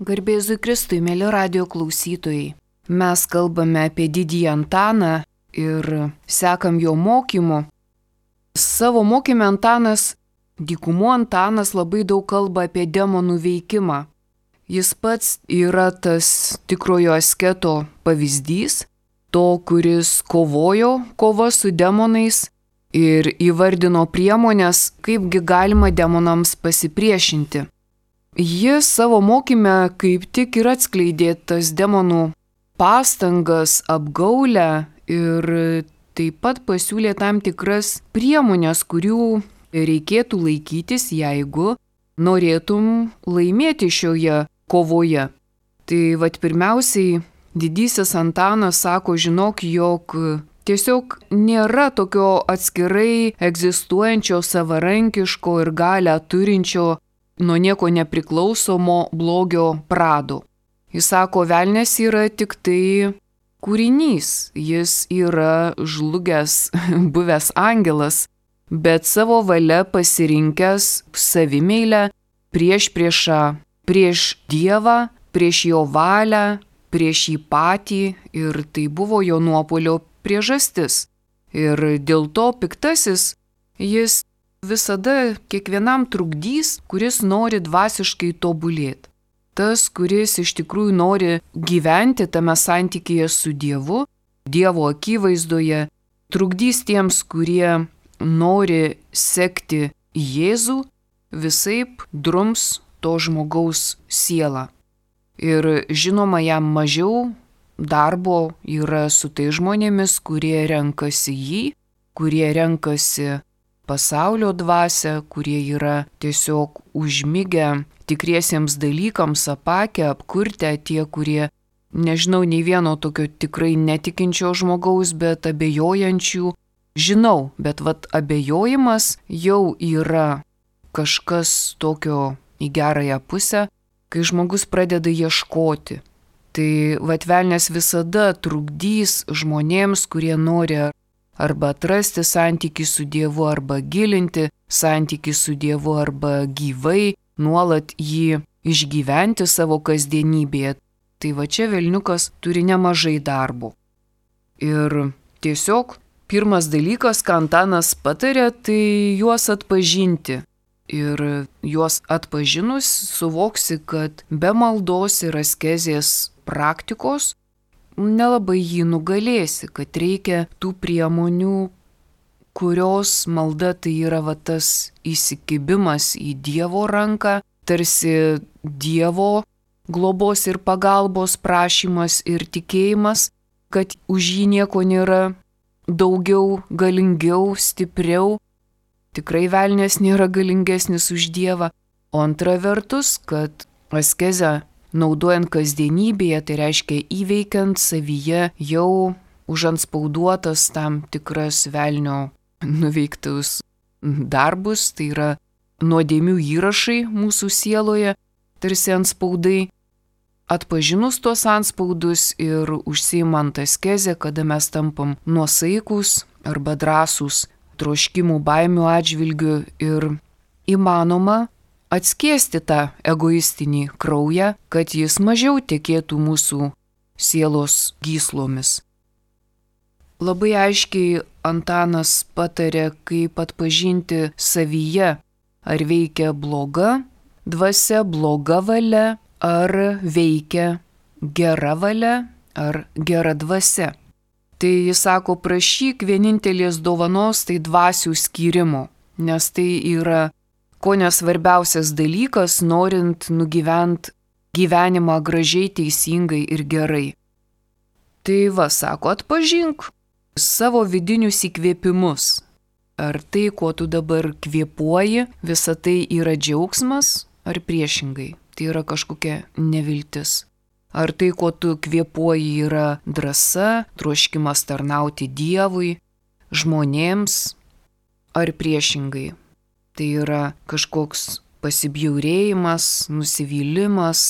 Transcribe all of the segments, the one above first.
Garbė Jėzui Kristui, mėly radijo klausytojai. Mes kalbame apie didįjį Antaną ir sekam jo mokymu. Savo mokyme Antanas, dykumų Antanas labai daug kalba apie demonų veikimą. Jis pats yra tas tikrojo asketo pavyzdys, to, kuris kovojo kova su demonais ir įvardino priemonės, kaipgi galima demonams pasipriešinti. Jis savo mokyme kaip tik ir atskleidė tas demonų pastangas, apgaulę ir taip pat pasiūlė tam tikras priemonės, kurių reikėtų laikytis, jeigu norėtum laimėti šioje kovoje. Tai pirmiausiai didysis Antanas sako, žinok, jog tiesiog nėra tokio atskirai egzistuojančio savarankiško ir galią turinčio nuo nieko nepriklausomo blogio prado. Jis sako, velnias yra tik tai kūrinys, jis yra žlugęs, buvęs angelas, bet savo valia pasirinkęs savimeilę priešą prieš Dievą, prieš jo valią, prieš jį patį ir tai buvo jo nuopuolio priežastis. Ir dėl to piktasis jis visada kiekvienam trukdys, kuris nori dvasiškai tobulėti. Tas, kuris iš tikrųjų nori gyventi tame santykyje su Dievu, Dievo akivaizdoje, trukdys tiems, kurie nori sekti Jėzų, visaip drums to žmogaus sielą. Ir žinoma, jam mažiau darbo yra su tai žmonėmis, kurie renkasi jį, kurie renkasi pasaulio dvasią, kurie yra tiesiog užmigę tikriesiems dalykams, apakę, apkurtę, tie, kurie nežinau nei vieno tokio tikrai netikinčio žmogaus, bet abejojančių. Žinau, bet abejojimas jau yra kažkas tokio į gerąją pusę, kai žmogus pradeda ieškoti. Tai velnias visada trukdys žmonėms, kurie nori arba atrasti santykį su Dievu, arba gilinti santykį su Dievu, arba gyvai nuolat jį išgyventi savo kasdienybėje. Tai čia velniukas turi nemažai darbo. Ir tiesiog pirmas dalykas, ką Antanas patarė, tai juos atpažinti. Ir juos atpažinus suvoksi, kad be maldos ir askezės praktikos nelabai jį nugalėsi, kad reikia tų priemonių, kurios malda tai yra tas įsikibimas į Dievo ranką, tarsi Dievo globos ir pagalbos prašymas ir tikėjimas, kad už jį nieko nėra daugiau, galingiau, stipriau. Tikrai velnias nėra galingesnis už Dievą. O antra vertus, kad askezę naudojant kasdienybėje, tai reiškia įveikiant savyje jau užantspauduotas tam tikras velnio nuveiktus darbus, tai yra nuodėmių įrašai mūsų sieloje, tarsi antspaudai. Atpažinus tuos antspaudus ir užsiimant askezę, kada mes tampam nuosaikus arba drąsūs troškimų baimių atžvilgių ir įmanoma atskiesti tą egoistinį kraują, kad jis mažiau tekėtų mūsų sielos gyslomis. Labai aiškiai Antanas patarė, kaip atpažinti savyje, ar veikia bloga dvasia, bloga valia, ar veikia gera valia, ar gera dvasia. Tai jis sako, prašyk vienintelės dovanos, tai dvasių skyrimo, nes tai yra kone svarbiausias dalykas, norint nugyvent gyvenimą gražiai, teisingai ir gerai. Tai sako, atpažink savo vidinius įkvėpimus. Ar tai, kuo tu dabar kvėpuoji, visa tai yra džiaugsmas, ar priešingai, tai yra kažkokia neviltis. Ar tai, kuo tu kvėpuoji, yra drąsa, troškimas tarnauti Dievui, žmonėms, ar priešingai. Tai yra kažkoks pasibjaurėjimas, nusivylimas,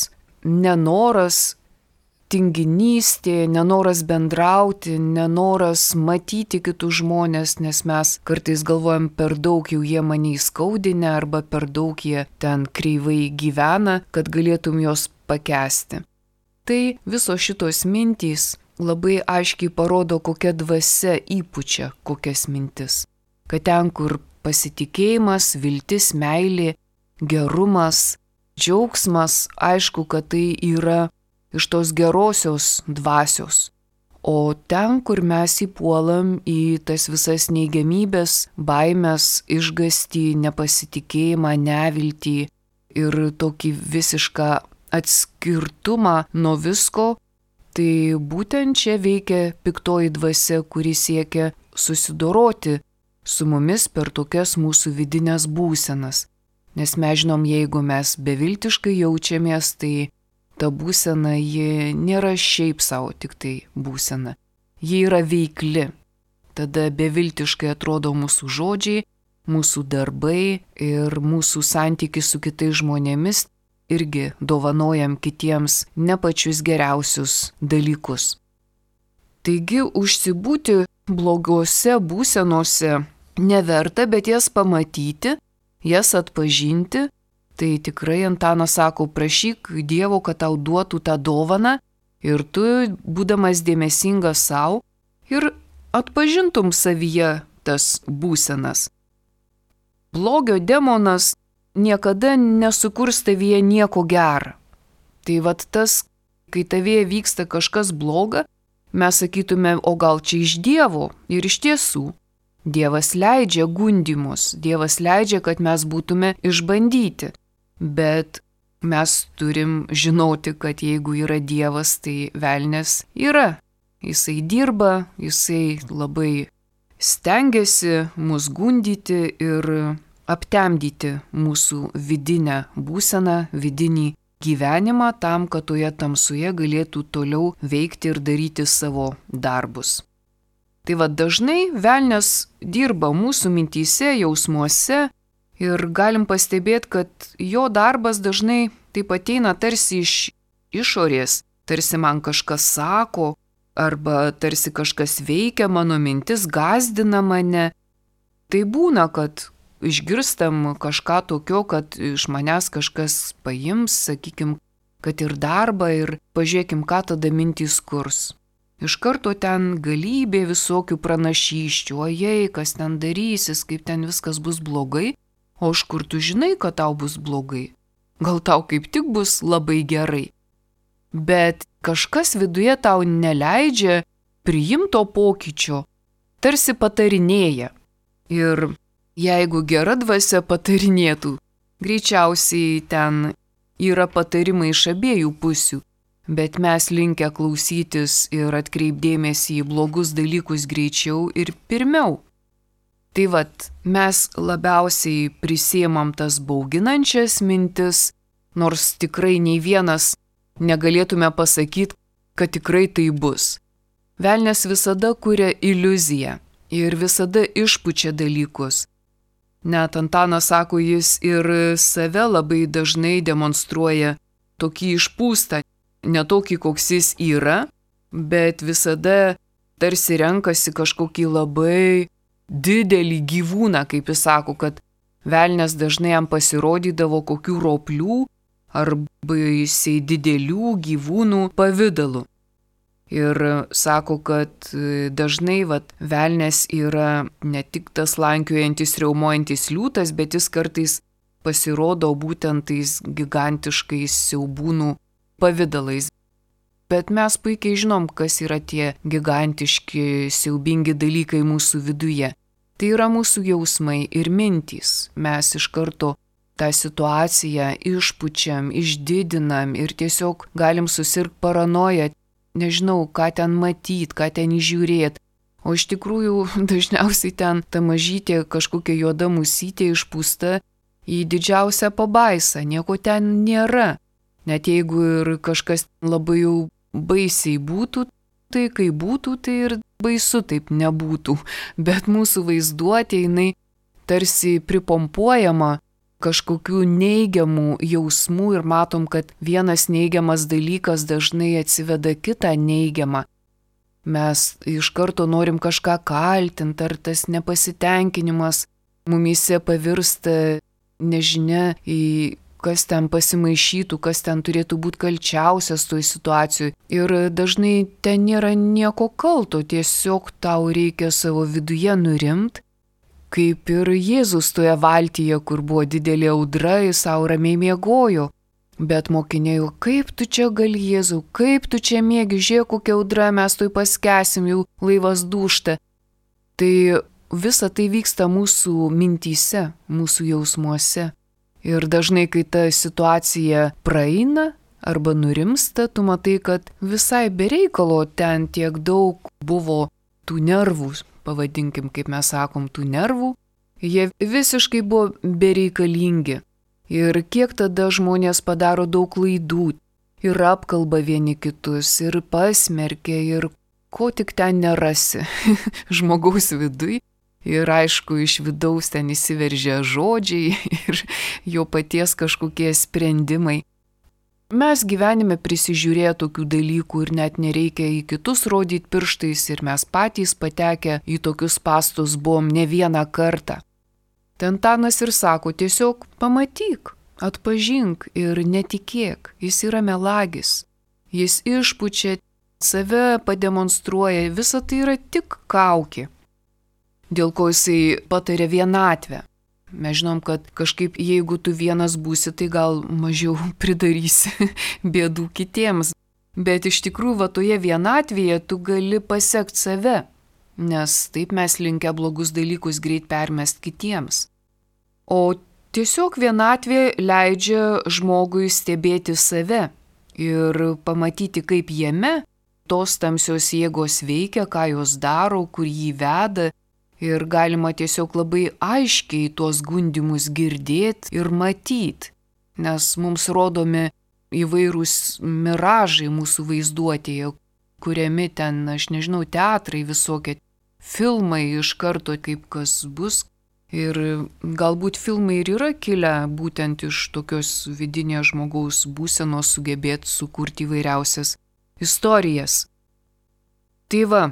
nenoras, tinginystė, nenoras bendrauti, nenoras matyti kitus žmonės, nes mes kartais galvojam, per daug jau jie mane įskaudinę arba per daug jie ten kreivai gyvena, kad galėtum juos pakęsti. Tai visos šitos mintys labai aiškiai parodo, kokia dvasia įpučia kokias mintis. Kad ten, kur pasitikėjimas, viltis, meilė, gerumas, džiaugsmas, aišku, kad tai yra iš tos gerosios dvasios. O ten, kur mes įpuolam į tas visas neigiamybės, baimės, išgąstį, nepasitikėjimą, neviltį ir tokį visišką atskirtumą nuo visko, tai būtent čia veikia piktoji dvasia, kuri siekia susidoroti su mumis per tokias mūsų vidinės būsenas. Nes mes žinom, jeigu mes beviltiškai jaučiamės, tai ta būsena, ji nėra šiaip savo tik tai būsena. Ji yra veikli. Tada beviltiškai atrodo mūsų žodžiai, mūsų darbai ir mūsų santykis su kitais žmonėmis irgi dovanojam kitiems ne pačius geriausius dalykus. Taigi užsibūti blogose būsenose neverta, bet jas pamatyti, jas atpažinti. Tai tikrai Antanas sako, prašyk Dievo, kad tau duotų tą dovaną ir tu, būdamas dėmesingas savo, ir atpažintum savyje tas būsenas. Blogio demonas niekada nesukurs tavyje nieko gero. Tai vat tas, kai tavyje vyksta kažkas bloga, mes sakytume, o gal čia iš Dievo, ir iš tiesų. Dievas leidžia gundymus, Dievas leidžia, kad mes būtume išbandyti. Bet mes turim žinoti, kad jeigu yra Dievas, tai velnias yra. Jisai dirba, jisai labai stengiasi mus gundyti ir aptemdyti mūsų vidinę būseną, vidinį gyvenimą tam, kad toje tamsoje galėtų toliau veikti ir daryti savo darbus. Tai va dažnai velnias dirba mūsų mintyse, jausmuose ir galim pastebėti, kad jo darbas dažnai taip ateina tarsi iš išorės, tarsi man kažkas sako, arba tarsi kažkas veikia mano mintis, gąsdina mane. Tai būna, kad išgirstam kažką tokio, kad iš manęs kažkas paims, sakykim, kad ir darbą ir pažiūrėkim, ką tada mintys kurs. Iš karto ten galybė visokių pranašysčių, ojei, kas ten darysis, kaip ten viskas bus blogai, o iš kur tu žinai, kad tau bus blogai? Gal tau kaip tik bus labai gerai? Bet kažkas viduje tau neleidžia priimto pokyčio, tarsi patarinėja. Ir jeigu gera dvasia patarinėtų, greičiausiai ten yra patarimai iš abiejų pusių. Bet mes linkę klausytis ir atkreipdėmėsi į blogus dalykus greičiau ir pirmiau. Tai vat, mes labiausiai prisiemam tas bauginančias mintis, nors tikrai nei vienas negalėtume pasakyti, kad tikrai tai bus. Velnias visada kuria iliuziją ir visada išpučia dalykus. Net Antanas sako, jis ir save labai dažnai demonstruoja tokį išpūstą, ne tokį, koks jis yra, bet visada tarsi renkasi kažkokį labai didelį gyvūną, kaip jis sako, kad velnias dažnai jam pasirodydavo kokių roplių arba jisai didelių gyvūnų pavidalu. Ir sako, kad dažnai velnias yra ne tik tas lankiojantis, riaumojantis liūtas, bet jis kartais pasirodo būtent tais gigantiškais siaubūnų pavidalais. Bet mes puikiai žinom, kas yra tie gigantiški, siaubingi dalykai mūsų viduje. Tai yra mūsų jausmai ir mintys. Mes iš karto tą situaciją išpučiam, išdidinam ir tiesiog galim susirgti paranoją, nežinau, ką ten matyt, ką ten įžiūrėt. O iš tikrųjų dažniausiai ten ta mažytė kažkokia juoda musytė išpūsta į didžiausią pabaisą, nieko ten nėra. Net jeigu ir kažkas labai jau baisiai būtų, tai kai būtų, tai ir baisu taip nebūtų. Bet mūsų vaizduotė jinai tarsi pripompuojama kažkokių neigiamų jausmų ir matom, kad vienas neigiamas dalykas dažnai atsiveda kitą neigiamą. Mes iš karto norim kažką kaltinti, ar tas nepasitenkinimas mumyse pavirsta nežinia į kas ten pasimaišytų, kas ten turėtų būti kalčiausias toj situacijoje. Ir dažnai ten nėra nieko kalto, tiesiog tau reikia savo viduje nurimti, kaip ir Jėzus toje valtyje, kur buvo didelė audra, jis savo ramiai miegojo. Bet mokiniai, kaip tu čia gali, Jėzau, kaip tu čia miegi, žiūrėk, kokia audra, mes toj paskesim, jau laivas dūžta. Tai visa tai vyksta mūsų mintyse, mūsų jausmuose. Ir dažnai, kai ta situacija praeina arba nurimsta, tu matai, kad visai bereikalo ten tiek daug buvo tų nervų, pavadinkim, kaip mes sakom, tų nervų, jie visiškai buvo bereikalingi. Ir kiek tada žmonės padaro daug klaidų ir apkalba vieni kitus, ir pasmerkia, ir ko tik ten nerasi žmogaus viduj. Ir aišku, iš vidaus ten įsiveržia žodžiai ir jo paties kažkokie sprendimai. Mes gyvenime prisižiūrėję tokių dalykų ir net nereikia į kitus rodyti pirštais ir mes patys patekę į tokius spąstus buvom ne vieną kartą. Ten Antanas ir sako, tiesiog pamatyk, atpažink ir netikėk, jis yra melagis. Jis išpučia, save pademonstruoja, visa tai yra tik kaukė. Dėl ko jisai patarė vienatvę. Mes žinom, kad kažkaip jeigu tu vienas būsi, tai gal mažiau pridarysi bėdų kitiems. Bet iš tikrųjų, va toje vienatvėje tu gali pasekti save, nes taip mes linkę blogus dalykus greit permest kitiems. O tiesiog vienatvė leidžia žmogui stebėti save ir pamatyti, kaip jame tos tamsios jėgos veikia, ką jos daro, kur jį veda. Ir galima tiesiog labai aiškiai tuos gundymus girdėti ir matyti, nes mums rodomi įvairūs miražai mūsų vaizduotėje, kuriami ten, aš nežinau, teatrai visokie, filmai iš karto kaip kas bus. Ir galbūt filmai ir yra kilę būtent iš tokios vidinės žmogaus būsenos sugebėti sukurti įvairiausias istorijas. Tai va.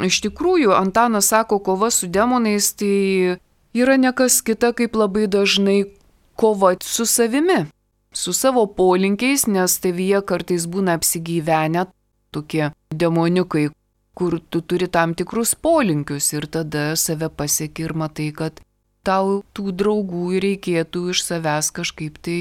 Iš tikrųjų, Antanas sako, kova su demonais tai yra nekas kita kaip labai dažnai kova su savimi, su savo polinkiais, nes tavyje kartais būna apsigyvenę tokie demoniukai, kur tu turi tam tikrus polinkius ir tada save pasieki ir matai, kad tau tų draugų reikėtų iš savęs kažkaip tai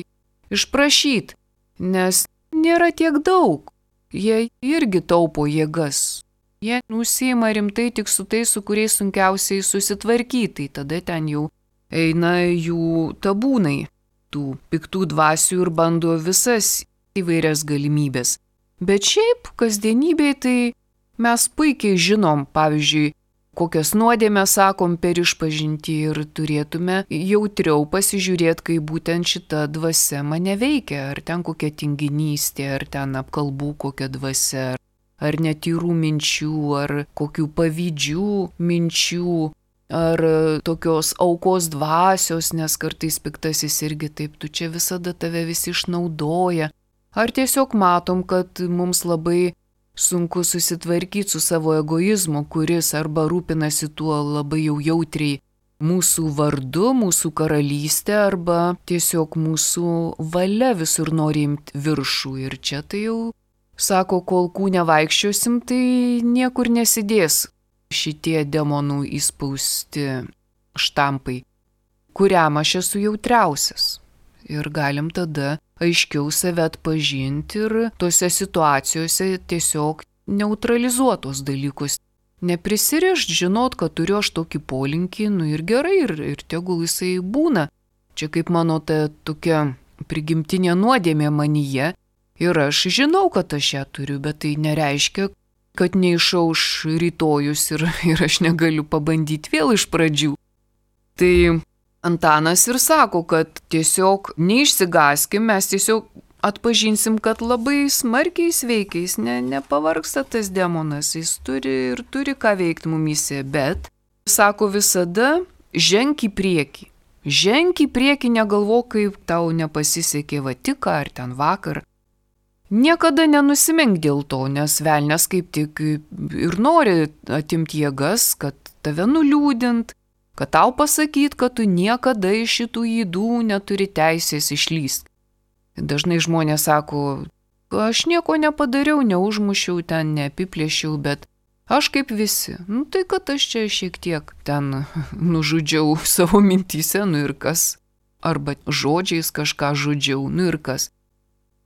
išprašyti, nes nėra tiek daug, jie irgi taupo jėgas. Jie užsiima rimtai tik su tais, su kuriais sunkiausiai susitvarkyti, tada ten jau eina jų tabūnai, tų piktų dvasių ir bando visas įvairias galimybės. Bet šiaip kasdienybėje tai mes puikiai žinom, pavyzdžiui, kokias nuodėmes sakom per išpažintį ir turėtume jautriau pasižiūrėti, kaip būtent šita dvasia mane veikia, ar ten kokia tinginystė, ar ten apkalbų kokia dvasia. Ar netyrų minčių, ar kokių pavydžių minčių, ar tokios aukos dvasios, nes kartais piktasis irgi taip, tu čia visada tave visi išnaudoja. Ar tiesiog matom, kad mums labai sunku susitvarkyti su savo egoizmu, kuris arba rūpinasi tuo labai jau jautriai mūsų vardu, mūsų karalystė, arba tiesiog mūsų valia visur nori imti viršų. Ir čia tai jau sako, kol kūne vaikščiosim, tai niekur nesidės šitie demonų įspausti štampai, kuriam aš esu jautriausias. Ir galim tada aiškiau save atpažinti ir tose situacijose tiesiog neutralizuotos dalykus. Neprisirišt, žinot, kad turiu aš tokį polinkį, ir gerai, ir tegul jisai būna. Čia kaip mano ta tokia prigimtinė nuodėmė manyje. Ir aš žinau, kad aš ją turiu, bet tai nereiškia, kad neišauš rytojus ir aš negaliu pabandyti vėl iš pradžių. Tai Antanas ir sako, kad tiesiog neišsigaskim, mes tiesiog atpažinsim, kad labai smarkiai sveikiais, nepavargsta tas demonas, jis turi ką veikti mumyse, bet, sako, visada ženk į priekį. Ženk į priekį, negalvok, kaip tau nepasisekė va tik ar ten vakar. Niekada nenusimink dėl to, nes velnias kaip tik ir nori atimti jėgas, kad tave nuliūdint, kad tau pasakyt, kad tu niekada iš šitų ydų neturi teisės išlyst. Dažnai žmonės sako, aš nieko nepadariau, neužmušiau ten, neapiplėšiau, bet aš kaip visi. Tai kad aš čia šiek tiek ten nužudžiau savo mintyse, ir kas. Arba žodžiais kažką žudžiau, ir kas.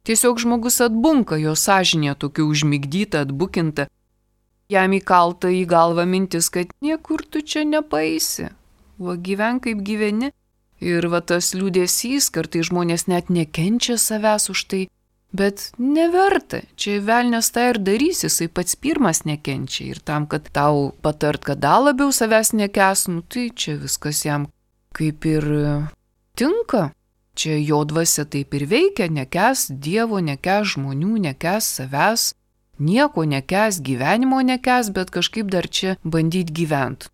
Tiesiog žmogus atbunka, jo sąžinė tokia užmigdyta, atbukinta. Jam įkalta į galvą mintis, kad niekur tu čia nepaeisi. Va gyven kaip gyveni. Ir va tas liūdesys, kartai žmonės net nekenčia savęs už tai, bet neverta. Čia velnias tą ir darys, jisai pats pirmas nekenčia. Ir tam, kad tau patart, kad dar labiau savęs nekęs, tai čia viskas jam kaip ir tinka. Čia jo dvasia taip ir veikia, nekęs Dievo, nekęs žmonių, nekęs savęs, nieko nekęs, gyvenimo nekęs, bet kažkaip dar čia bandyt gyventi.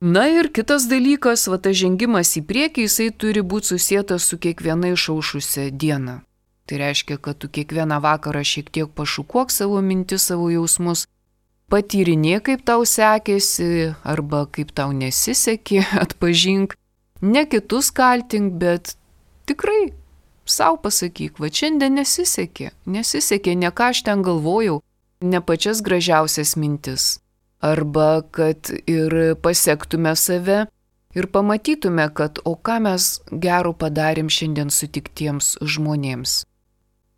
Na ir kitas dalykas, va tas žengimas į priekį, jisai turi būti susietas su kiekviena išaušusia diena. Tai reiškia, kad tu kiekvieną vakarą šiek tiek pašukuok savo mintis, savo jausmus, patyrinėk, kaip tau sekėsi arba kaip tau nesisekė, atpažink. Ne kitus kaltink, bet tikrai sau pasakyk, va šiandien nesisekė, ne ką aš ten galvojau, ne pačias gražiausias mintis. Arba kad ir pasektume save ir pamatytume, kad o ką mes gero padarėm šiandien sutiktiems žmonėms.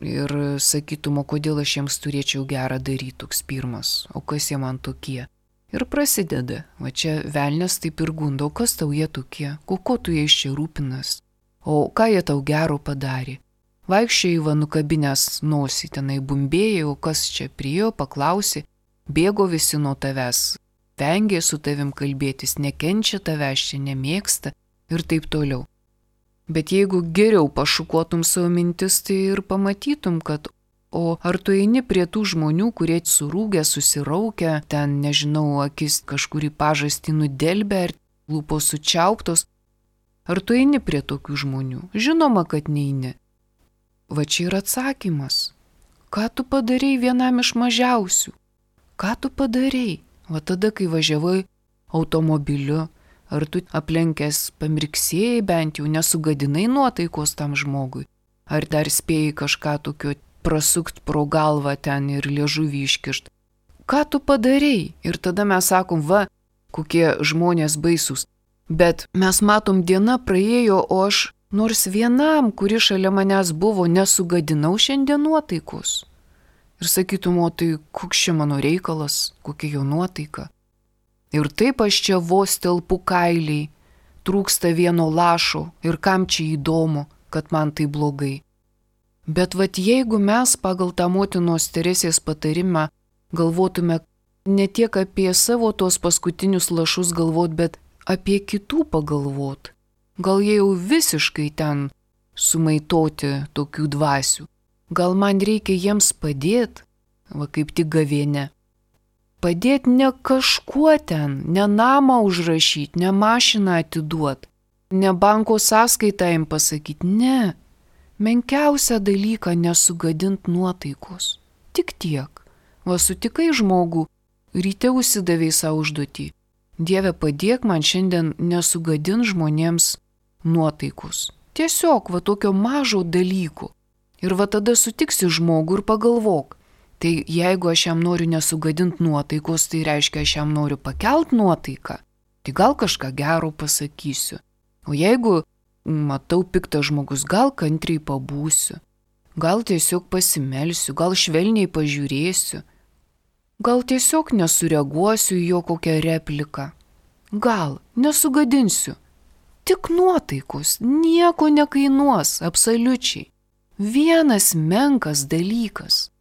Ir sakytum, o kodėl aš jiems turėčiau gerą daryti, toks pirmas, o kas jie man tokie. Ir prasideda, va čia velnias taip ir gundo, kas tau jie tokie, ko tu jais čia rūpinas, o ką jie tau gero padarė. Vaikščiai va nukabinės nosį, tenai bumbėjai, o kas čia priėjo, paklausė, bėgo visi nuo tavęs, vengė su tavim kalbėtis, nekenčia tavęs, čia nemėgsta ir taip toliau. Bet jeigu geriau pašukuotum savo mintis, tai ir pamatytum, kad o ar tu eini prie tų žmonių, kurie surūgę, susiraukę, ten, nežinau, akis kažkurį pažastį nudelbę ar lūpos sučiauptos, ar tu eini prie tokių žmonių? Žinoma, kad neini. Va čia yra atsakymas. Ką tu padarei vienam iš mažiausių? Ką tu padarei? Va tada, kai važiavai automobiliu, ar tu aplenkęs pamirksėjai bent jau, nesugadinai nuotaikos tam žmogui? Ar dar spėjai kažką tokio prasukt pro galvą ten ir liežuvį iškišt? Ką tu padarei? Ir tada mes sakom, va, kokie žmonės baisus. Bet mes matom, diena praėjo, o aš nors vienam, kuri šalia manęs buvo, nesugadinau šiandien nuotaikos. Ir sakytum, o tai koks čia mano reikalas, kokia jo nuotaika. Ir taip aš čia vos telpu kailiai, trūksta vieno lašo ir kam čia įdomu, kad man tai blogai. Bet vat jeigu mes pagal tą motinos Teresės patarimą galvotume ne tiek apie savo tos paskutinius lašus galvot, bet apie kitų pagalvot, gal jie jau visiškai ten sumaitoti tokių dvasių. Gal man reikia jiems padėti, va kaip tik gavėne. Padėti ne kažkuo ten, ne namą užrašyti, ne mašiną atiduoti, ne banko sąskaitą jam pasakyti, ne. Menkiausią dalyką nesugadint nuotaikos. Tik tiek. Va sutikai žmogų, ryte užsidavei savo užduotį. Dieve, padėk man šiandien nesugadint žmonėms nuotaikos. Tiesiog va tokio mažo dalyko. Ir va tada sutiksi žmogų ir pagalvok. Tai jeigu aš jam noriu nesugadint nuotaikos, tai reiškia, aš jam noriu pakelt nuotaiką. Tai gal kažką gero pasakysiu. O jeigu matau piktas žmogus, gal kantriai pabūsiu. Gal tiesiog pasimelsiu, gal švelniai pažiūrėsiu. Gal tiesiog nesureaguosiu į jo kokią repliką. Gal nesugadinsiu. Tik nuotaikos, nieko nekainuos, absoliučiai. Vienas menkas dalykas.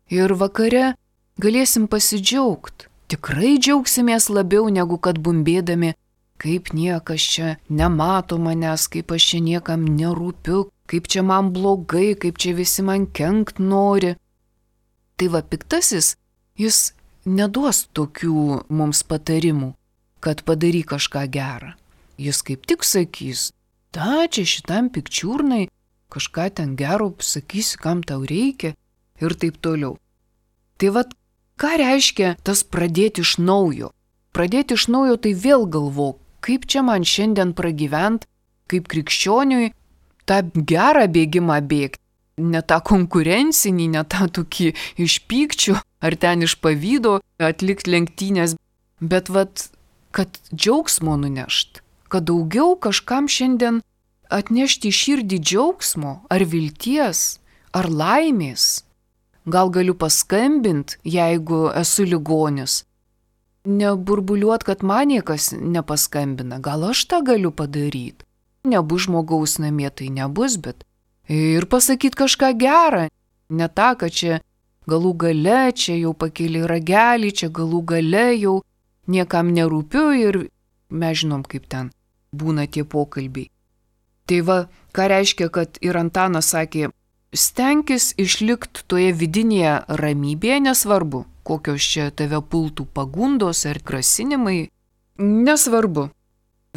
Ir vakare galėsim pasidžiaugti. Tikrai džiaugsimės labiau negu kad bumbėdami, kaip niekas čia nemato manęs, kaip aš čia niekam nerūpiu, kaip čia man blogai, kaip čia visi man kenkt nori. Tai va piktasis, jis neduos tokių mums patarimų, kad padaryk kažką gerą. Jis kaip tik sakys, čia šitam pikčiurnai, kažką ten gero sakysi, kam tau reikia ir taip toliau. Tai vat, ką reiškia tas pradėti iš naujo? Pradėti iš naujo tai vėl galvok, kaip čia man šiandien pragyvent, kaip krikščioniui, tą gerą bėgimą bėgti. Ne tą konkurencinį, ne tą tokį iš pykčių ar ten iš pavydo atlikti lenktynės, bet kad džiaugsmo nunešt, kad daugiau kažkam šiandien atnešti į širdį džiaugsmo ar vilties ar laimės. Gal galiu paskambinti, jeigu esu ligonis. Neburbuliuot, kad man niekas nepaskambina, gal aš tą galiu padaryti. Nebus žmogaus namie, tai nebus, bet ir pasakyti kažką gerą. Ne tą, kad čia galų gale, čia jau pakėlė ragelį, čia galų gale jau niekam nerūpiu ir mes žinom, kaip ten būna tie pokalbiai. Tai va, ką reiškia, kad ir Antanas sakė, stenkis išlikti toje vidinėje ramybėje, nesvarbu, kokios čia tave pultų pagundos ar grasinimai, nesvarbu.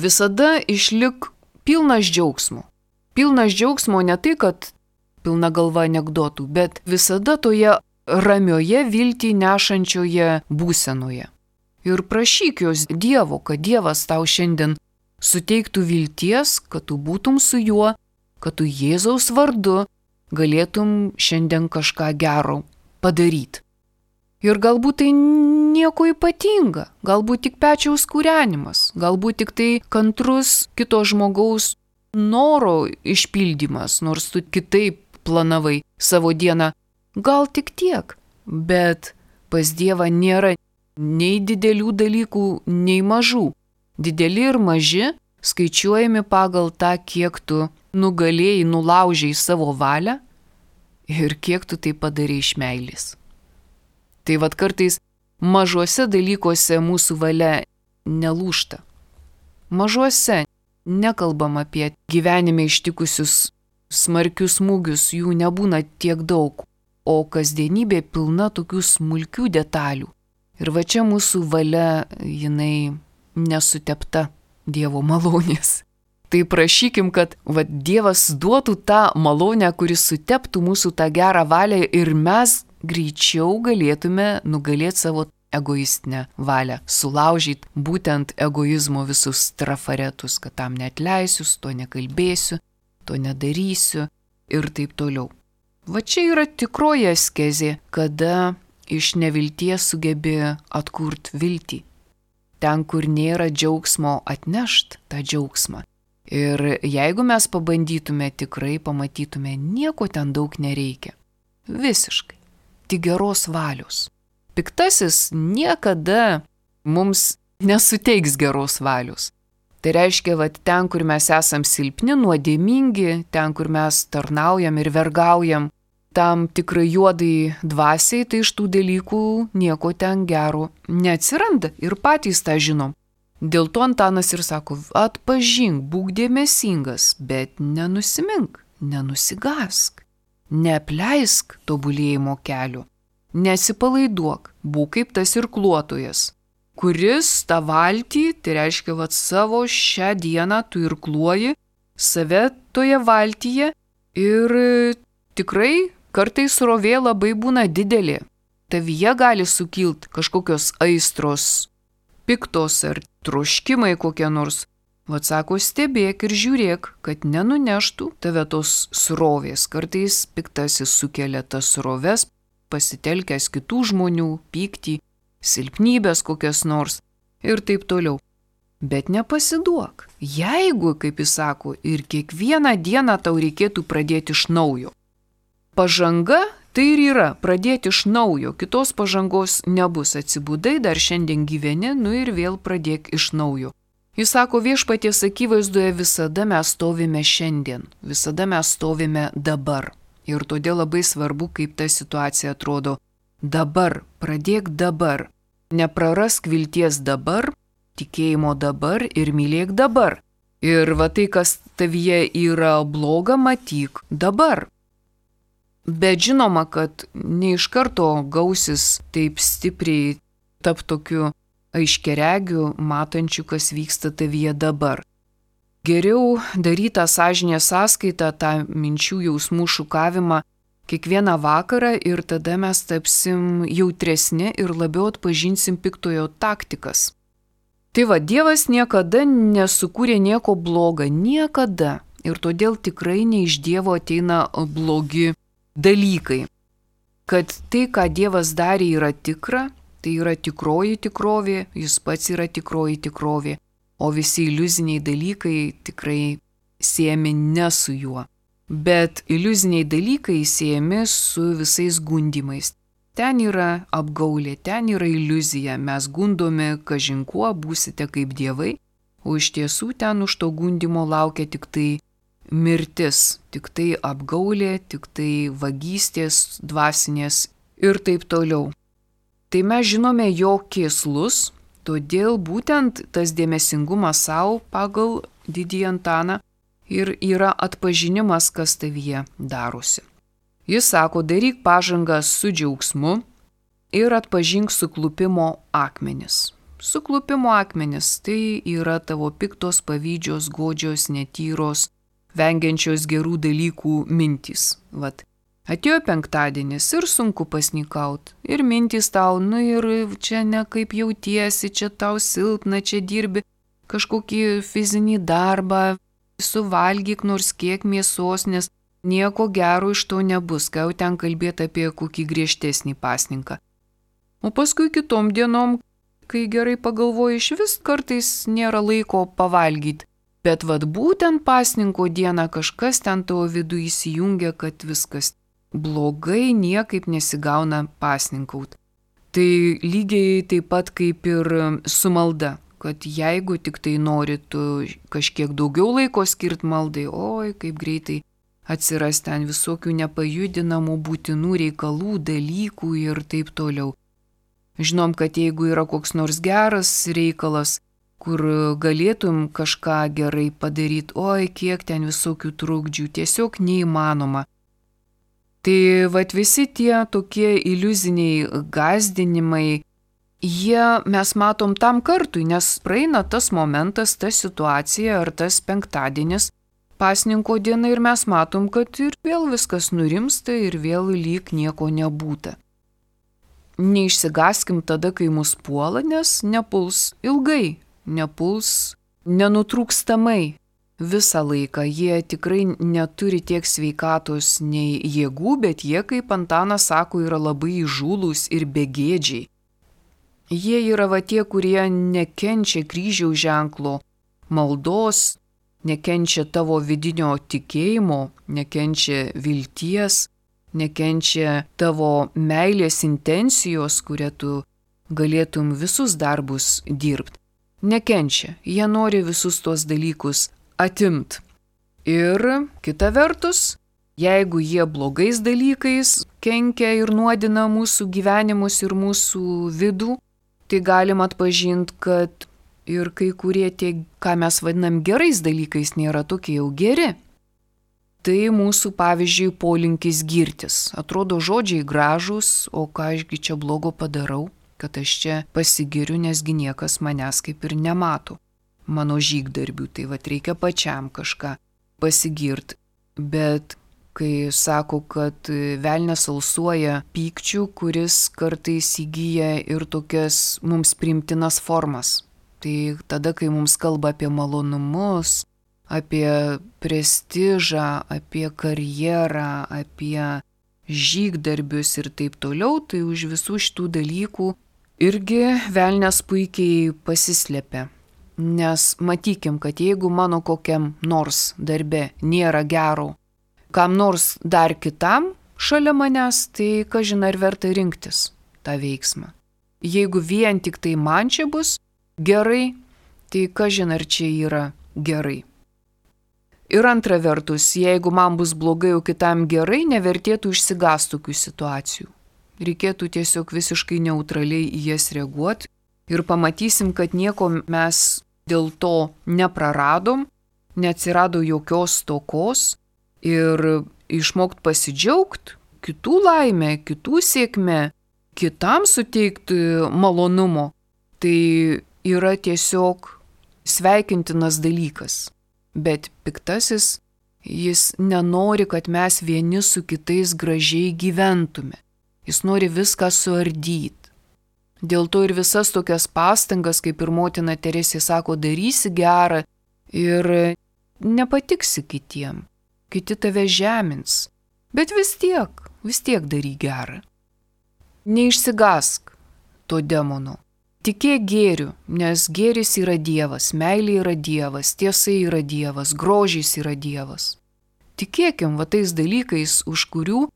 Visada išlik pilnas džiaugsmo. Pilnas džiaugsmo ne tai, kad pilna galva anekdotų, bet visada toje ramioje viltį nešančioje būsenoje. Ir prašyk jos Dievo, kad Dievas tau šiandien suteiktų vilties, kad tu būtum su juo, kad tu Jėzaus vardu galėtum šiandien kažką gero padaryti. Ir galbūt tai nieko ypatinga, galbūt tik pečiaus kūrenimas, galbūt tik tai kantrus kito žmogaus noro išpildymas, nors tu kitaip planavai savo dieną, gal tik tiek, bet pas Dievą nėra nei didelių dalykų, nei mažų. Dideli ir maži skaičiuojami pagal tą, kiek tu nugalėjai, nulaužiai savo valią ir kiek tu tai padarai iš meilės. Tai kartais mažuose dalykuose mūsų valia nelūžta. Mažuose. Nekalbam apie gyvenime ištikusius smarkius smūgius, jų nebūna tiek daug, o kasdienybė pilna tokių smulkių detalių. Ir va čia mūsų valia, jinai nesutepta Dievo malonės. Tai prašykim, kad Dievas duotų tą malonę, kuris suteptų mūsų tą gerą valią ir mes greičiau galėtume nugalėti savo egoistinę valią, sulaužyti būtent egoizmo visus trafaretus, kad tam neatleisiu, to nekalbėsiu, to nedarysiu ir taip toliau. Va čia yra tikroji askezė, kada iš nevilties sugebi atkurti viltį. Ten, kur nėra džiaugsmo, atnešt tą džiaugsmą. Ir jeigu mes pabandytume, tikrai pamatytume, nieko ten daug nereikia. Visiškai. Tik geros valios. Piktasis niekada mums nesuteiks geros valios. Tai reiškia, ten, kur mes esam silpni, nuodėmingi, ten, kur mes tarnaujam ir vergaujam, tam tikrai juodai dvasiai, tai iš tų dalykų nieko ten gero neatsiranda ir patys tą žinom. Dėl to Antanas ir sako, atpažink, būk dėmesingas, bet nenusimink, nenusigask, neapleisk tobulėjimo kelio. Nesipalaiduok, būk kaip tas irkluotojas, kuris tą valtį, tai reiškia, savo šią dieną tu irkluoji save toje valtyje ir tikrai kartais srovė labai būna didelė. Tavyje gali sukilt kažkokios aistros, piktos ar troškimai kokie nors. Sako, stebėk ir žiūrėk, kad nenuneštų tave tos srovės. Kartais piktasis sukelia tas sroves, pasitelkęs kitų žmonių, pyktį, silpnybės kokias nors ir taip toliau. Bet nepasiduok. Jeigu, kaip jis sako, ir kiekvieną dieną tau reikėtų pradėti iš naujo. Pažanga tai ir yra pradėti iš naujo, kitos pažangos nebus. Atsibudai, dar šiandien gyveni, ir vėl pradėk iš naujo. Jis sako, viešpaties akivaizdoje visada mes stovime šiandien, visada mes stovime dabar. Ir todėl labai svarbu, kaip ta situacija atrodo dabar, pradėk dabar. Neprarask vilties dabar, tikėjimo dabar ir mylėk dabar. Ir tai, kas tavyje yra bloga, matyk dabar. Bet žinoma, kad ne iš karto gausis taip stipriai tap tokiu aiškiaregiu, matančiu, kas vyksta tavyje dabar. Geriau daryti tą sąžinės sąskaitą, tą minčių jausmų šukavimą kiekvieną vakarą ir tada mes tapsim jautresni ir labiau atpažinsim piktojo taktikas. Tai Dievas niekada nesukūrė nieko bloga, niekada. ir todėl tikrai ne iš Dievo ateina blogi dalykai. Kad tai, ką Dievas darė, yra tikra, tai yra tikroji tikrovė, jis pats yra tikroji tikrovė, o visi iliuziniai dalykai tikrai siejami ne su juo. Bet iliuziniai dalykai siejami su visais gundimais. Ten yra apgaulė, ten yra iliuzija, mes gundomi kažin kuo, būsite kaip dievai, o iš tiesų ten už to gundimo laukia tik tai mirtis, tik tai apgaulė, tik tai vagystės dvasinės ir taip toliau. Tai mes žinome jo kėslus, todėl būtent tas dėmesingumas savo pagal Didįjį Antaną ir yra atpažinimas, kas tavyje darosi. Jis sako, daryk pažangą su džiaugsmu ir atpažink suklupimo akmenis. Suklupimo akmenis tai yra tavo piktos, pavydžios, godžios, netyros, vengiančios gerų dalykų mintys. Vat. Atėjo penktadienis ir sunku pasnikaut. Ir mintys tau, ir čia ne kaip jautiesi, čia tau silpna, čia dirbi kažkokį fizinį darbą, suvalgyk nors kiek mėsos, nes nieko gero iš to nebus, ką jau ten kalbėti apie kokį griežtesnį pasninką. O paskui kitom dienom, kai gerai pagalvoji, iš vis kartais nėra laiko pavalgyti. Bet vat būtent pasninko dieną kažkas ten tavo vidų įsijungia, kad viskas blogai, niekaip nesigauna pasninkaut. Tai lygiai taip pat kaip ir su malda, kad jeigu tik tai nori tu kažkiek daugiau laiko skirti maldai, oi kaip greitai atsiras ten visokių nepajudinamų būtinų reikalų, dalykų ir taip toliau. Žinom, kad jeigu yra koks nors geras reikalas, kur galėtum kažką gerai padaryti, oi kiek ten visokių trukdžių, tiesiog neįmanoma. Tai vat visi tie tokie iliuziniai gąsdinimai, mes matom tam kartui, nes praeina tas momentas, ta situacija ar tas penktadienis, pasninko diena ir mes matom, kad ir vėl viskas nurimsta ir vėl lyg nieko nebūta. Neišsigaskim tada, kai mus puola, nes nepuls ilgai, nepuls nenutrūkstamai visą laiką. Jie tikrai neturi tiek sveikatos nei jėgų, bet jie, kaip Antanas sako, yra labai įžūlūs ir begėdžiai. Jie yra va tie, kurie nekenčia kryžiaus ženklo, maldos, nekenčia tavo vidinio tikėjimo, nekenčia vilties, nekenčia tavo meilės intencijos, kuria tu galėtum visus darbus dirbti. Nekenčia, jie nori visus tuos dalykus atimt. Ir kita vertus, jeigu jie blogais dalykais kenkia ir nuodina mūsų gyvenimus ir mūsų vidų, tai galim atpažinti, kad ir kai kurie tie, ką mes vadinam gerais dalykais, nėra tokie jau geri. Tai mūsų, pavyzdžiui, polinkis girtis. Atrodo žodžiai gražūs, o ką ašgi čia blogo padarau, kad aš čia pasigiriu, nesgi niekas manęs kaip ir nemato. Mano žygdarbių, tai vat reikia pačiam kažką pasigirti. Bet kai sako, kad velnias alsuoja pykčių, kuris kartais įgyja ir tokias mums priimtinas formas. Tai tada, kai mums kalba apie malonumus, apie prestižą, apie karjerą, apie žygdarbius ir taip toliau, tai už visų šitų dalykų irgi velnias puikiai pasislepia. Nes matykim, kad jeigu mano kokiam nors darbe nėra gero, kam nors dar kitam šalia manęs, tai kažin ar verta rinktis tą veiksmą. Jeigu vien tik tai man čia bus gerai, tai kažin ar čia yra gerai. Ir antra vertus, jeigu man bus blogai, o kitam gerai, nevertėtų išsigąsti tokių situacijų. Reikėtų tiesiog visiškai neutraliai į jas reaguoti ir pamatysim, kad nieko mes dėl to nepraradom, neatsirado jokios stokos ir išmokt pasidžiaugti kitų laimę, kitų sėkmę, kitam suteikti malonumo, tai yra tiesiog sveikintinas dalykas. Bet piktasis, jis nenori, kad mes vieni su kitais gražiai gyventume. Jis nori viską suardyti. Dėl to ir visas tokias pastangas, kaip ir motina Teresė sako, darysi gerą ir nepatiksi kitiem, kiti tave žemins, bet vis tiek daryk gerą. Neišsigąsk to demono. Tikėk gėriu, nes gėris yra Dievas, meilė yra Dievas, tiesa yra Dievas, grožis yra Dievas. Tikėkim va tais dalykais, už kurių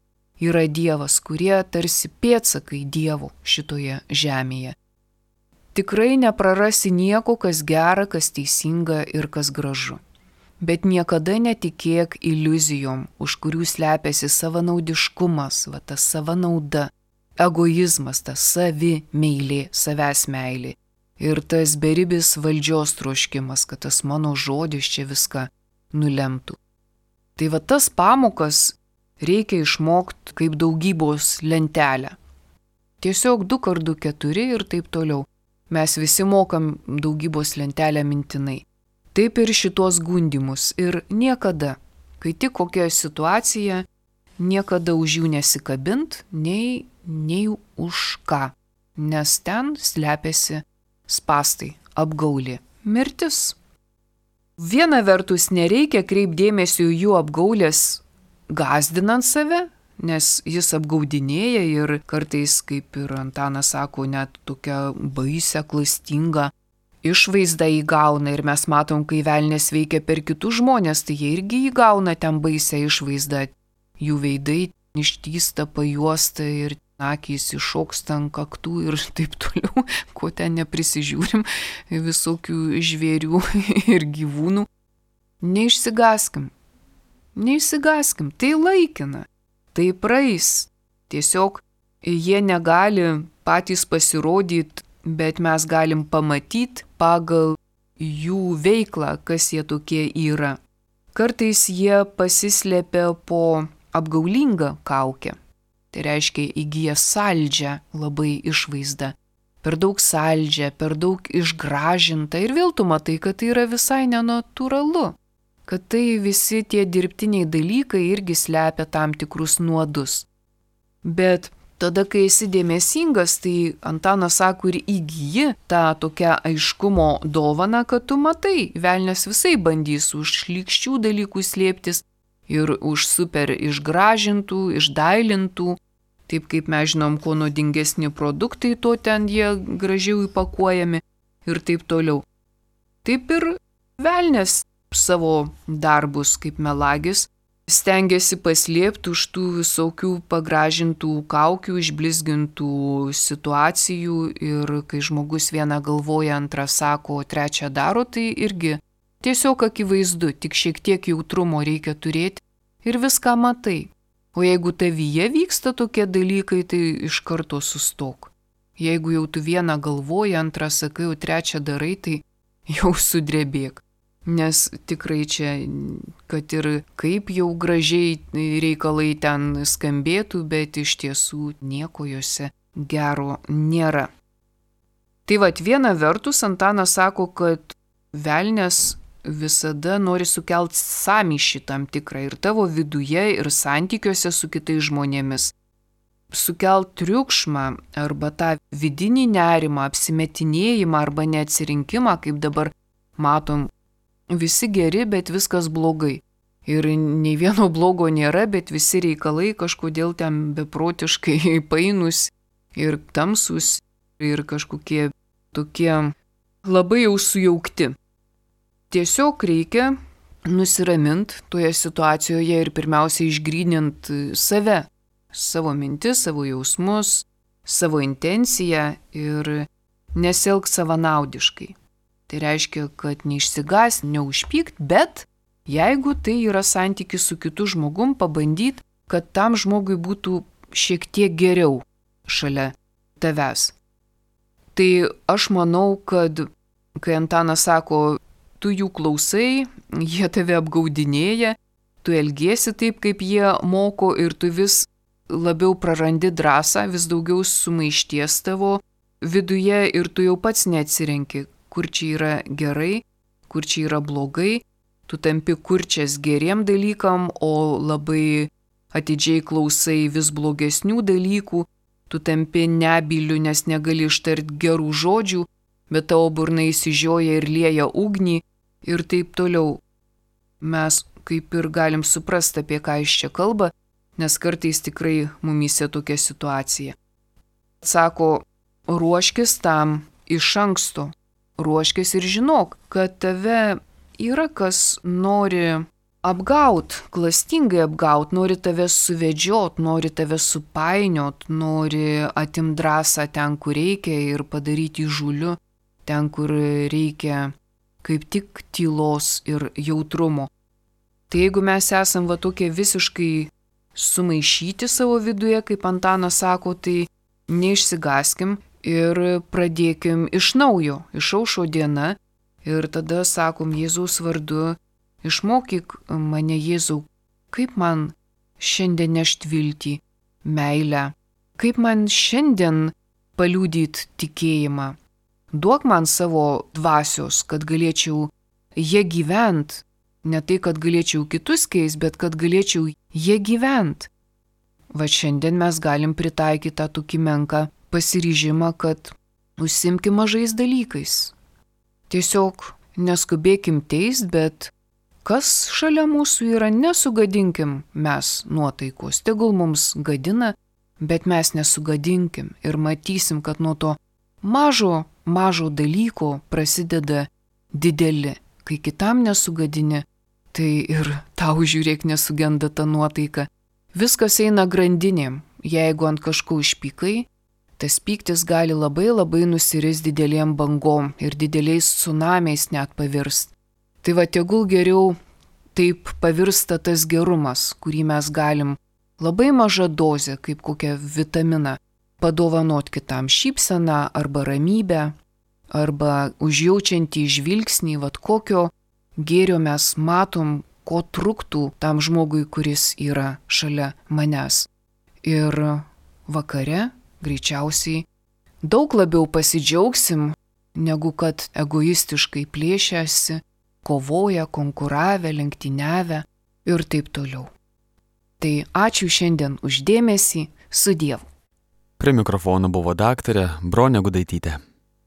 yra Dievas, kurie tarsi pėdsakai Dievo šitoje žemėje. Tikrai neprarasi nieko, kas gera, kas teisinga ir kas gražu. Bet niekada netikėk iliuzijom, už kurių slepiasi savanaudiškumas, va ta savanauda. Egoizmas, tas savi meilė, savęs meilė. Ir tas beribis valdžios troškimas, kad tas mano žodis čia viską nulemtų. Tai va tas pamokas reikia išmokti kaip daugybos lentelę. Tiesiog 2x2 ir taip toliau. Mes visi mokam daugybos lentelę mintinai. Taip ir šitos gundimus. Ir niekada, kai tik kokia situacija, niekada už jų nesikabint, nei už ką, nes ten slepiasi spastai, apgaulė, mirtis. Viena vertus nereikia kreipdėmesio į jų apgaulės gąsdinant save, nes jis apgaudinėja ir kartais, kaip ir Antanas sako, net tokia baisia, klastinga išvaizda įgauna ir mes matom, kai velnės veikia per kitus žmonės, tai jie irgi įgauna ten baisią išvaizdą, jų veidai ištįsta, pajuosta ir akys iššoksta ant kaktų ir taip toliau, ko ten neprisižiūrim, visokių žvėrių ir gyvūnų. Neišsigąskim, tai laikina, tai praeis. Tiesiog jie negali patys pasirodyti, bet mes galim pamatyti pagal jų veiklą, kas jie tokie yra. Kartais jie pasislepia po apgaulingą kaukę. Tai reiškia įgyja saldžią labai išvaizdą. Per daug saldžią, per daug išgražinta ir vėl tu matai, kad tai yra visai nenatūralu. Kad tai visi tie dirbtiniai dalykai irgi slepia tam tikrus nuodus. Bet tada, kai esi dėmesingas, tai Antanas sako ir įgyji tą tokią aiškumo dovaną, kad tu matai, velnias visai bandys už šlykščių dalykų slėptis, ir už super išgražintų, išdailintų, taip kaip mes žinom, kuo nuodingesni produktai, to ten jie gražiau įpakuojami ir taip toliau. Taip ir velnias savo darbus kaip melagis stengiasi paslėpti už tų visokių pagražintų kaukių, išblizgintų situacijų ir kai žmogus vieną galvoja, antrą sako, trečią daro, tai irgi tiesiog akivaizdu, tik šiek tiek jautrumo reikia turėti ir viską matai. O jeigu tavyje vyksta tokie dalykai, tai iš karto sustok. Jeigu jau tu vieną galvoji, antrą sakai, o trečią darai, tai jau sudrebėk. Nes tikrai čia, kad ir kaip jau gražiai reikalai ten skambėtų, bet iš tiesų nieko juose gero nėra. Tai vat viena vertus Antanas sako, kad velnias visada nori sukelt sąmyšį tam tikrą ir tavo viduje, ir santykiuose su kitais žmonėmis. Sukelt triukšmą arba tą vidinį nerimą, apsimetinėjimą arba neatsirinkimą, kaip dabar matom, visi geri, bet viskas blogai. Ir nei vieno blogo nėra, bet visi reikalai kažkodėl ten beprotiškai painus ir tamsus ir kažkokie tokie labai jau sujaukti. Tiesiog reikia nusiraminti toje situacijoje ir pirmiausia išgrynint save, savo mintis, savo jausmus, savo intenciją ir nesielgti savanaudiškai. Tai reiškia, kad neišsigąs, neužpykt, bet jeigu tai yra santykis su kitu žmogum, pabandyt, kad tam žmogui būtų šiek tiek geriau šalia tavęs. Tai aš manau, kad kai Antanas sako, tu jų klausai, jie tave apgaudinėja, tu elgiesi taip, kaip jie moko ir tu vis labiau prarandi drąsą, vis daugiau sumaišties tavo viduje ir tu jau pats neatsirenki, kur čia yra gerai, kur čia yra blogai, tu tampi kurčias geriem dalykam, o labai atidžiai klausai vis blogesnių dalykų, tu tampi nebyliu, nes negali ištarti gerų žodžių, bet tavo burna įsižioja ir lieja ugnį ir taip toliau. mes kaip ir galim suprasti, apie ką jis čia kalba, nes kartais tikrai mumyse tokia situacija. Sako, ruoškis tam iš anksto, ruoškis ir žinok, kad tave yra kas nori apgaut, klastingai apgaut, nori tave suvedžiot, nori tave supainiot, nori atimt drąsą ten, kur reikia ir padaryti įžūliu, ten, kur reikia kaip tik tylos ir jautrumo. Tai jeigu mes esam va tokie visiškai sumaišyti savo viduje, kaip Antanas sako, tai neišsigaskim ir pradėkim iš naujo, išaušo diena ir tada sakom Jėzaus vardu, išmokyk mane Jėzau, kaip man šiandien nešti viltį, meilę, kaip man šiandien paliudyt tikėjimą. Duok man savo dvasios, kad galėčiau jie gyvent, ne tai, kad galėčiau kitus keist, bet kad galėčiau jie gyvent. Va šiandien mes galim pritaikyti tą tokį menką pasiryžimą, kad užsimkim mažais dalykais. Tiesiog neskubėkim teist, bet kas šalia mūsų yra, nesugadinkim mes nuotaikos. Tegul mums gadina, bet mes nesugadinkim ir matysim, kad nuo to mažo dalyko prasideda dideli. Kai kitam nesugadini, tai ir tau žiūrėk nesugenda ta nuotaika. Viskas eina grandinėm. Jeigu ant kažko išpykai, tas pyktis gali labai nusiris didelėm bangom ir dideliais tsunamiais net pavirst. Tai va tegul geriau taip pavirsta tas gerumas, kurį mes galim labai mažą dozę, kaip kokią vitaminą, padovanot kitam šypseną arba ramybę, arba užjaučiantį žvilgsnį, vat kokio gėrio mes matom, ko truktų tam žmogui, kuris yra šalia manęs. Ir vakare greičiausiai daug labiau pasidžiaugsim, negu kad egoistiškai plėšiasi, kovoja, konkuravę, lenktyniavę ir taip toliau. Tai ačiū šiandien už dėmesį, su Dievu. Prie mikrofono buvo daktarė Bronė Gudaitytė.